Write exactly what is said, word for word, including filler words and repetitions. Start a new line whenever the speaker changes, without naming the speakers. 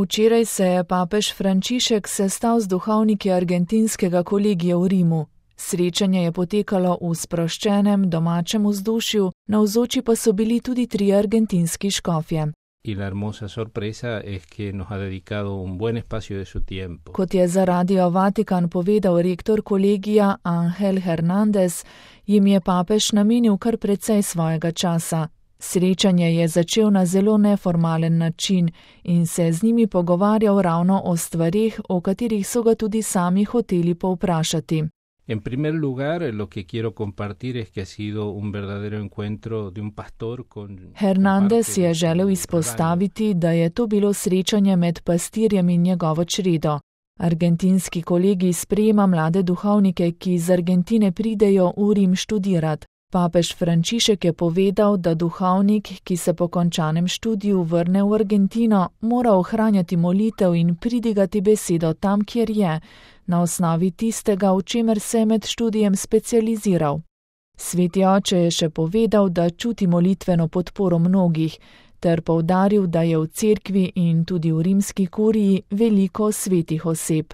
Včeraj se je papež Frančišek sestal z duhovniki argentinskega kolegija v Rimu. Srečanje je potekalo v sproščenem domačem vzdušju, navzoči pa so bili tudi tri argentinski škofje. Kot je za Radio Vatikan povedal rektor kolegija Ángel Hernández, jim je papež namenil kar precej svojega časa. Srečanje je začel na zelo neformalen način in se z njimi pogovarjal ravno o stvareh, o katerih so ga tudi sami hoteli povprašati.
En primer lugar, lo que quiero compartir es que ha sido un verdadero encuentro de un pastor con...
Hernández je želel izpostaviti, da je to bilo srečanje med pastirjem in njegovo čredo. Argentinski kolegi sprejema mlade duhovnike, ki iz Argentine pridejo v Rim študirat. Papež Frančišek je povedal, da duhovnik, ki se po končanem študiju vrne v Argentino, mora ohranjati molitev in pridigati besedo tam, kjer je, na osnovi tistega, v čemer se je med študijem specializiral. Sveti oče je še povedal, da čuti molitveno podporo mnogih, ter poudaril, da je v cerkvi in tudi v rimski kuriji veliko svetih oseb.